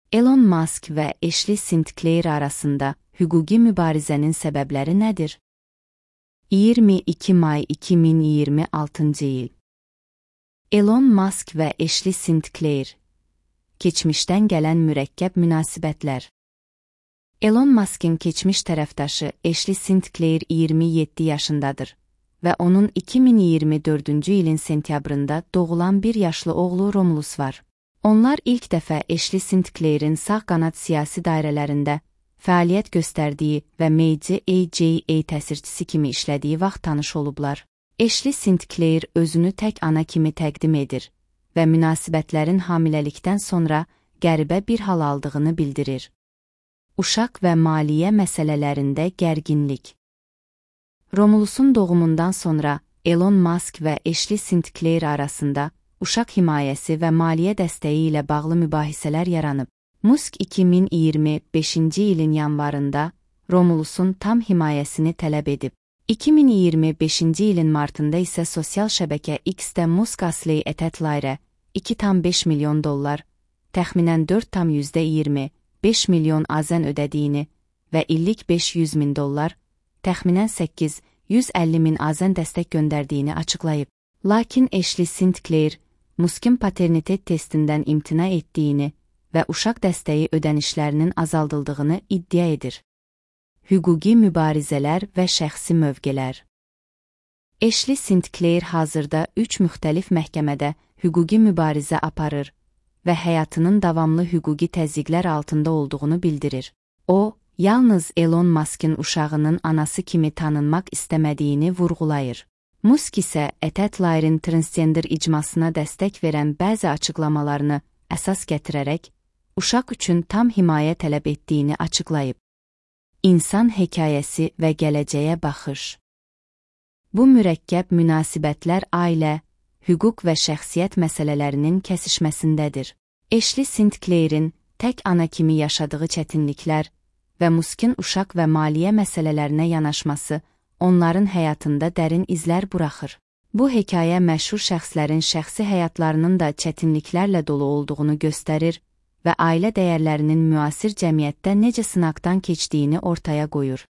Elon Musk və Ashley Sinclair arasında hüquqi mübarizənin səbəbləri nədir? 22 may 2026 il. Elon Musk və Ashley Sinclair. Keçmişdən gələn mürəkkəb münasibətlər. Elon Musk'ın keçmiş tərəfdaşı Ashley Sinclair 27 yaşındadır və onun 2024-cü ilin sentyabrında doğulan bir yaşlı oğlu Romulus var. Onlar ilk dəfə Ashley Sinclair'in sağ qanad siyasi dairələrində fəaliyyət göstərdiyi və Meiji AJA təsirçisi kimi işlədiyi vaxt tanış olublar. Ashley Sinclair özünü tək ana kimi təqdim edir və münasibətlərin hamiləlikdən sonra qəribə bir hal aldığını bildirir. Uşaq və maliyyə məsələlərində gərginlik. Romulusun doğumundan sonra Elon Musk və Ashley Sinclair arasında uşaq himayəsi və maliyyə dəstəyi ilə bağlı mübahisələr yaranıb. Musk 2025-ci ilin yanvarında Romulusun tam himayəsini tələb edib. 2025-ci ilin martında isə sosial şəbəkə X-də Musk Ashley Etetlairə $2,5 milyon, təxminən 4,25 milyon AZN ödədiyini və illik $500,000, təxminən 850,000 AZN dəstək göndərdiyini açıqlayıb. Lakin Ashley Sinclair, Musk'ın paternitet testindən imtina etdiyini və uşaq dəstəyi ödənişlərinin azaldıldığını iddia edir. Hüquqi mübarizələr və şəxsi mövqelər. Ashley Sinclair hazırda 3 müxtəlif məhkəmədə hüquqi mübarizə aparır və həyatının davamlı hüquqi təzyiqlər altında olduğunu bildirir. O, yalnız Elon Musk'ın uşağının anası kimi tanınmaq istəmədiyini vurğulayır. Musk isə Etetlair'in transgender icmasına dəstək verən bəzi açıqlamalarını əsas gətirərək, uşaq üçün tam himayə tələb etdiyini açıqlayıb. İnsan hekayəsi və gələcəyə baxış. Bu mürəkkəb münasibətlər ailə, hüquq və şəxsiyyət məsələlərinin kəsişməsindədir. Ashley Sinclair'in tək ana kimi yaşadığı çətinliklər və Musk'ın uşaq və maliyyə məsələlərinə yanaşması onların həyatında dərin izlər buraxır. Bu hekayə məşhur şəxslərin şəxsi həyatlarının da çətinliklərlə dolu olduğunu göstərir və ailə dəyərlərinin müasir cəmiyyətdə necə sınaqdan keçdiyini ortaya qoyur.